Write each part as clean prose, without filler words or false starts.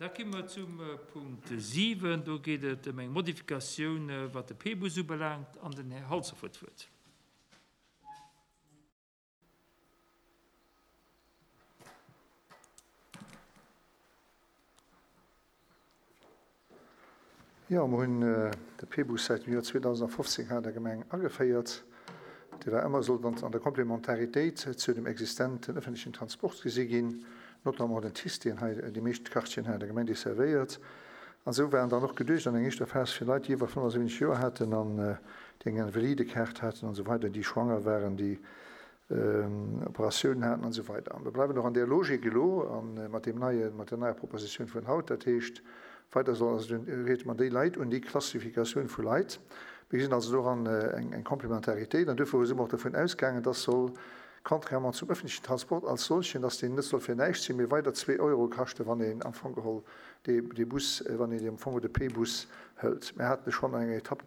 Da komme mer zum Punkt 7. Do geet et ëm eng Modifikatioun, wat de P-Bus ubelaangt, an den Här Halsdorf huet d'Wuert. Jo, mer hunn de P-Bus säit dem Joer 2015 hei an der Gemeng ageféiert. Dee war ëmmer, sollt an der Komplementaritéit zu dem existenten ëffentlechen Transport gesi ginn, notamment den TICE, deen hei déi meescht Quartieren hei an der Gemeng desservéiert. An esou war en dann och geduecht an eng éischter Phas fir Leit, déi iwwer 75 Joer haten an déi eng Invalidekaart haten an esou weider, déi schwanger waren, déi Operatiounen haten an esou weider. A mir bleiwen och an där Logik elo a mat deem neien, mat der neier Propositioun vun haut. Dat heescht, weider soll also den, reet mer déi Leit un, déi Klassifikatioun vu Leit. Mir gesinn also doran eng, eng Complémentaritéit an duerfir si mer och dovun ausgaangen, dass soll, contrairement zum öffentlichen Transport als solchen, dass deen net soll fir näischt sinn, mee weider zwee Euro kaschten, wann een am Fong geholl dee, dee Bus, wann een am Fong de P-Bus hëlt. Mir haten schonn an enger Etapp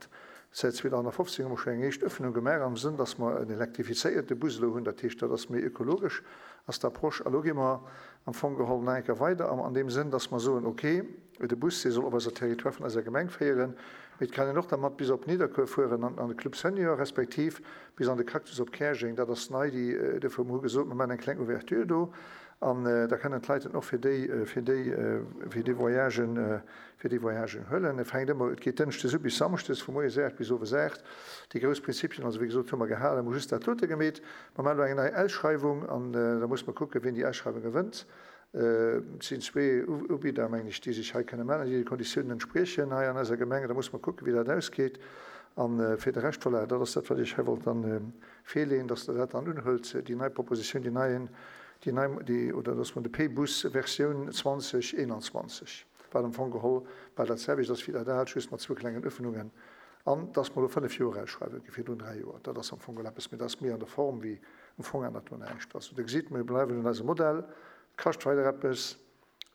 Säit 2015 hu mer schonn eng éischt Öffnung gemaach am Sënn, dass mer en elektrifizéierte Bus elo hunn. Dat heescht, dat ass méi ökologesch ass d'Approche. A lo gi mer am Fong geholl nach eng Kéier weider am an deem Sënn, dass mer soen, okay, de Bus, dee soll op eiser Territoire vun eiser Gemeng féieren, mee et kann een och dermat bis op Nidderkuer fueren an an de Club Senior respektiv bis an de Cactus op Käerjeng. Dat ass nei, déi dofir hu mer gesot, mer maachen eng kleng Ouverture do an da kënnen d'Leit en och fir déi, fir déi, fir déi Voyagen, fir déi Voyagen huelen. Et fänkt ëmmer, et geet dënschdes u bis samschdes, vu moies 8 bis owes 8. Déi grouss Prinzipien, also wéi gesot, hu mer gehalen, mer hu just dat dote gemeet. Mer maachen elo eng nei Ausschreiwung an da musse mer kucken, wien déi Ausschreiwung gewënnt. Et sinn zwee Ubidder, mengen ech, déi sech hei kënne mellen, déi de Konditiounen entspriechen hei an eiser Gemeng. Da musse mer kucken, wéi dat ausgeet. A fir de Rescht, voilà, dat ass dat, wat ech hei wollt dann virleeën, dass Der dat dann unhëlt, déi nei Propositioun, déi neien, déi nei, déi, oder dass mer de P-Bus Versioun 2021. wat am Fong geholl bal dat selwecht ass wéi dat aalt, just mat zwou klengen Öffnungen, an dass mer elo 5 Joer ausschreiwen, gi virdrun 3 Joer. Dat ass am Fong geholl eppes, mee dat ass méi an der Form wéi um Fong ännert do näischt. Also Der gesitt, mir bleiwen un eisem Modell, et kascht weider eppes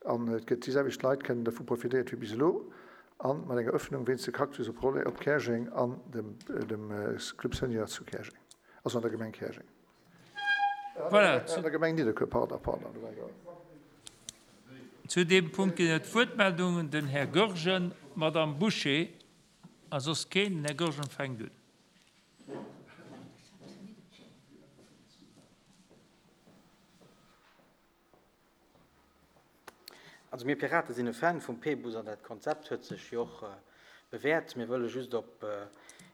an et gëtt déi selwecht Leit kënnen dervu profitéiert wéi bis elo, a mat enger Öffnung wéinst de Cactus op Rolleng, op Käerjeng an dem dem Club Senior zu Käerjeng, also an der Gemeng Käerjeng. Voilà, zu. An der Gemeng Nidderkuer, pardon, pardon. Zu deem Punkt ginn et Wuertmeldungen. Den Här Goergen, d'Madame Bouché a soss keen. Den Här Goergen fänkt un. Also mir Pirate sinn e Fan vum P-Bus an dat Konzept huet sech jo och bewäert. Mir wëlle just op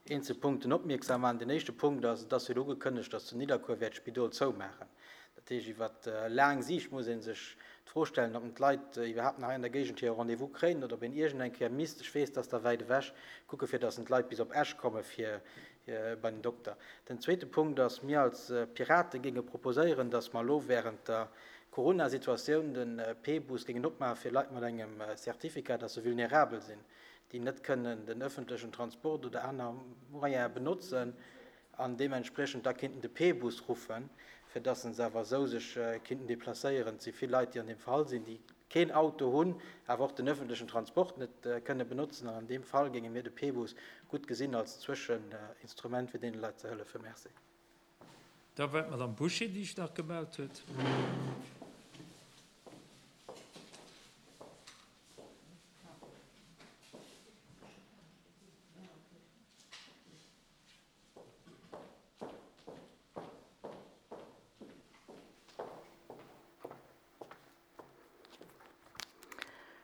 eenzel Punkten opmierksam maachen. Den éischte Punkt ass, et ass jo elo ugekënnegt, datt zu Nidderkuer wäert d'Spidol zoumaachen. Dat heescht, iwwer laang Siicht muss ee sech d'Fro stellen, ob d'Leit iwwerhaapt nach hei an der Géigend hire Rendez-vous kréien oder ob een iergend eng Kéier misst, ech weess, dat ass da wäit ewech, kucke fir datt d'Leit bis op Esch komme fir bei den Dokter. Den zweete Punkt ass, mir als Pirate géinge proposéieren, dass mer elo während der Corona-Situatioun de P-Bus géingen opmaache fir Leit mat engem Certificat, dass se vulnerabel sinn, déi net kënnen den öffentlechen Transport oder aner Moyene benotzen an deementspriechend da kéinten de P-Bus ruffen, fir dass se awer esou sech kéinten deplacéieren. Et si vill Leit, déi an deem Fall sinn, déi keen Auto hunn, awer och den öffentlechen Transport net kënne benotzen. An an deem Fall géinge mir de P-Bus gutt gesinn als Zwëscheninstrument, fir deene Leit ze hëllefen. Merci. Da war d'Madame Bouché, déi sech nach gemellt huet.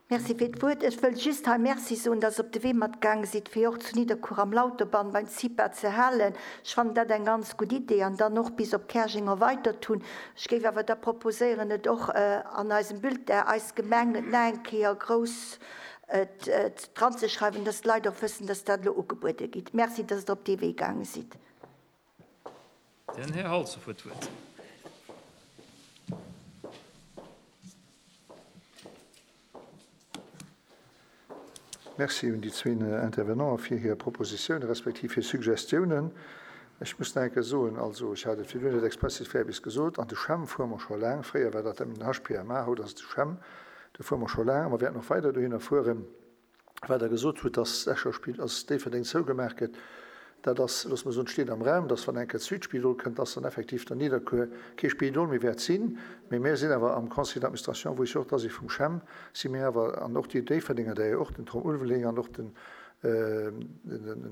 Merci fir d'Wuert. Ech wëll just hei Merci soen, dass Der op de Wee mat gaange sidd, fir och zu Nidderkuer am Lauterbann beim CIPA ze halen. Ech fannen dat eng ganz gutt Idee an dann och bis op Käerjeng erweitert hunn. Ech géif awer da proposéieren, et och an eisem Bulletin Eis Gemeng nach eng Kéier grouss dranzeschreiwen, dass d'Leit och wëssen, dass dat elo ugebuede gitt. Merci, dass Der op dee Wee gaange sidd. Den Här Halsdorf huet d'Wuert. Merci un déi zwee Intervenanten fir hir Propositiounen respektiv hir Suggestiounen. Ech muss nach eng Kéier soen, also ech hat et virdrun net expressis verbis gesot, an de CHEM fuere mer scho laang. Fréier war dat den HPMA, haut ass et de CHEM. Do fuere mer scho laang a mer wäerten och weider dohinner fueren. Wat Der gesot hutt, dass d'Escher Spill, dass Déifferdeng zougemaach gëtt. Dat ass, loosse mer soen, steet am Raum, dass wann eng Kéier d'Südspidol kënnt, dass dann effektiv dann Nidderkuer kee Spidol méi wäert sinn. Mee mir sinn awer am Conseil d'administration, wou ech jo och dra si vum CHEM, si mir awer, an och déi Déifferdenger, där jo och den Tom Ulveling an och den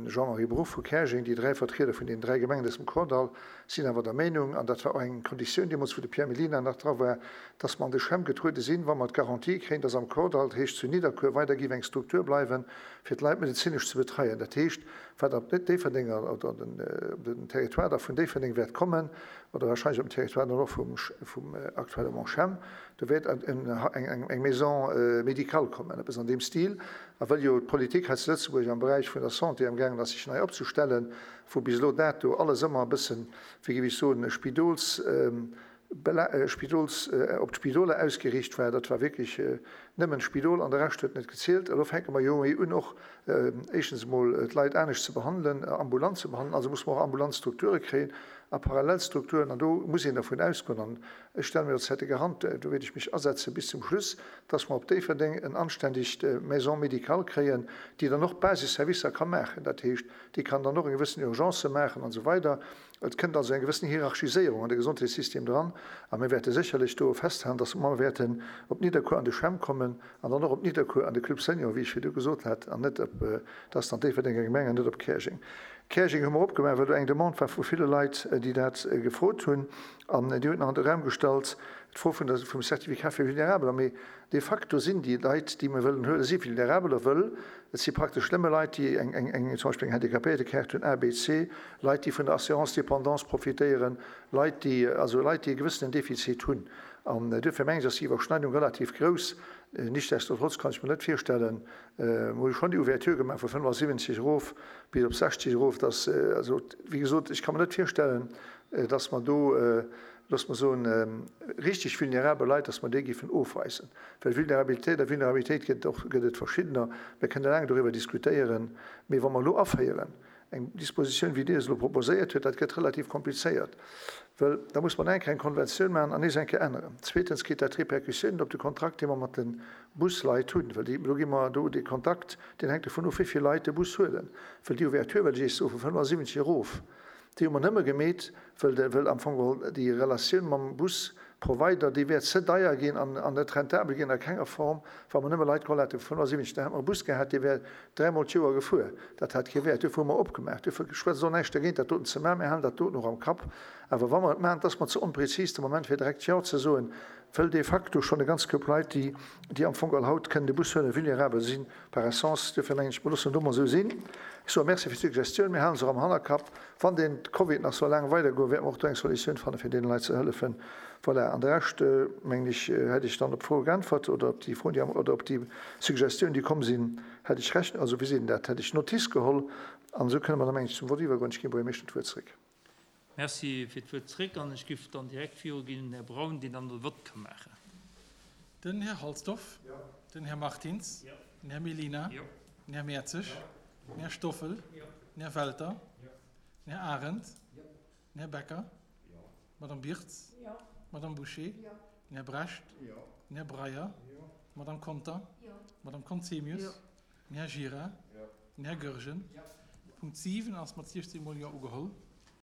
Jean-Marie Bruch vu Käerjeng, déi dräi Vertrieder vun deenen dräi Gemengen aus dem Kordall, sinn awer der Meenung, an dat war och eng Konditioun deemools, wou de Pierre Mellina nach dra war, dass mer an de CHEM getruede sinn, wa mer d'Garantie kréien, dass am Kordall, dat heescht zu Nidderkuer, weider géif eng Struktur bleiwen, fir d'Leit medezinesch ze betreien. Dat heescht, wat op Déifferdenger oder op den Territoire da vun Déifferdeng wäert kommen, oder wahrscheinlech op den Territoire dann och vum aktuelle Monchem, do wäert eng Maison médicale kommen, eppes an deem Stil. A well jo d'Politik hei zu Lëtzebuerg am Beräich vun der Santé amgaangen ass, sech nei opzestellen, wou bis elo dato alles ëmmer e bëssen, wéi géif ech soen, Spidols, Spidols, op d'Spidoler ausgeriicht war, dat war wierklech nëmmen d'Spidol an de Rescht huet net gezielt. Elo fänke mer jo méi un och éischtens emol d'Leit anescht ze behandelen, ambulant ze behandelen, also musse mer och ambulant Strukture kréien a parallel Strukturen an do muss een dervun ausgoen an ech stelle mir als Zäite Garant, do wäert ech mech asetze bis zum Schluss, dass mer op Déifferdeng en anständegt Maison médicale kréien, déi dann och Basisservicer ka maachen, dat heescht, déi kann dann och eng gewëssen Urgencë maachen an esou weider. Et kënnt also eng gewëssen Hierarchiséierung an de Gesondheetssystem dran a mir wäerte sécherlech do festhalen, dass mer wäerten op Nidderkuer an de CHEM kommen an dann och op Nidderkuer an de Club Senior, wéi ech virdu gesot hat, an net op, dat ass dann d'Déifferdenger Gemeng an net op Käerjeng. Käerjeng hu mer opgemaach, well do eng Demande war vu ville Leit, déi dat gefrot hunn. An Dir hutt nach an de Raum gestallt d'Fro vun der, vum Certificat fir Vulnerabeler. Mee de facto sinn déi Leit, déi mir wëllen huelen, si Vulnerabeler, wëll et si praktesch nëmme Leit, déi eng, eng, eng, zum Beispill eng Handicapéiertekaart hunn, A, B, C, Leit, déi vun der Assurance dépendance profitéieren, Leit, déi, also Leit, déi e gewëssenen Defizit hunn. An duerfir mengen ech, ass déi Iwwerschneidung relativ grouss. Nichtsdestotrotz kann ech mir net virstellen, mir hu schonn déi Ouverture gemaach vu 75 erof bis op 60 erof, dass, also wéi gesot, ech ka mir net virstellen, dass mer do, loosse mer soen, richtig vulnerabel Leit, dass mer déi géifen ofweisen. Well Vulnerabilitéit a Vulnerabilitéit gëtt och, gëtt et verschiddener. Mir kënne laang doriwwer diskutéieren. Mee wa mer elo aféieren eng Dispositioun, wéi Dir se elo proposéiert hutt, dat gëtt relativ komplizéiert, well da muss mer eng Kéier eng Konventioun maachen an nees eng Kéier änneren. Zweetens kritt dat Répercussiounen op de Kontrakt, dee mer mat de Busleit hunn, well déi, elo gi mer do dee Kontakt, deen hänkt dovun of, wéi vill Leit de Bus huelen. Well déi Ouverture, well ech Iech soe vu 75 erof, Déi hu mer nëmme gemeet, wëll de, wëll am Fong geholl déi Relatioun mam Busprovider, déi wär ze deier ginn an, an net rentabel ginn a kenger Form, wa mer nëmme Leit geholl hätte vu 75. Da hätte mer e Bus gehat, dee wär dräimol d'Joer gefuer. Dat hat kee Wäert. Duerfir hu mer opgemaach. Duerfir schwätzt och näischt dergéint, dat doten ze maachen. Mir halen dat doten och am Kapp. Awer wa mer et maachen, et ass mer ze onprezis de Moment, fir direkt Jo ze soen, wëll de facto schonn e ganz Koup Leit, déi, déi am Fong geholl haut kënnen de Bus huelen, vulnerabel sinn par essence. Duerfir mengen ech, mer loossen et do mol esou sinn. Ech soe Merci fir d'Suggestioun. Mir hale se och am Hannerkapp. Wann deen Covid nach soll laang weidergoen, wäerte mer och do eng Solutioun fannen, fir deene Leit ze hëllefen. Voilà. An de Rescht, mengen ech, hätt ech dann op d'Froe geäntwert oder op déi Froen, déi am, oder op déi Suggestioun, déi komm sinn, hätt ech Rechnung, also wéi seet een dat, hätt ech Notice geholl. An esou kënne mer da, mengen ech, zum Vott iwwergoen. Ech ginn dem Buergermeeschter d'Wuert zréck. Merci fir d'Wuert zréck an ech giff dann direkt viruginn un den Här Braun, deen dann de Vott ka maachen. Den Här Halsdorf. Den Här Martins. Den Här Mellina. Den Här Mertzig. Den Här Stoffel. Den Här Welter. Den Här Arendt. Den Här Becker. D'Madame Birtz. D'Madame Bouché. Den Här Brecht. Den Här Breyer. D'Madame Conter. D'Madame Conzemius. Den Här Gira. Den Här Goergen. Punkt 7 ass mat 16 mol Jo ugeholl.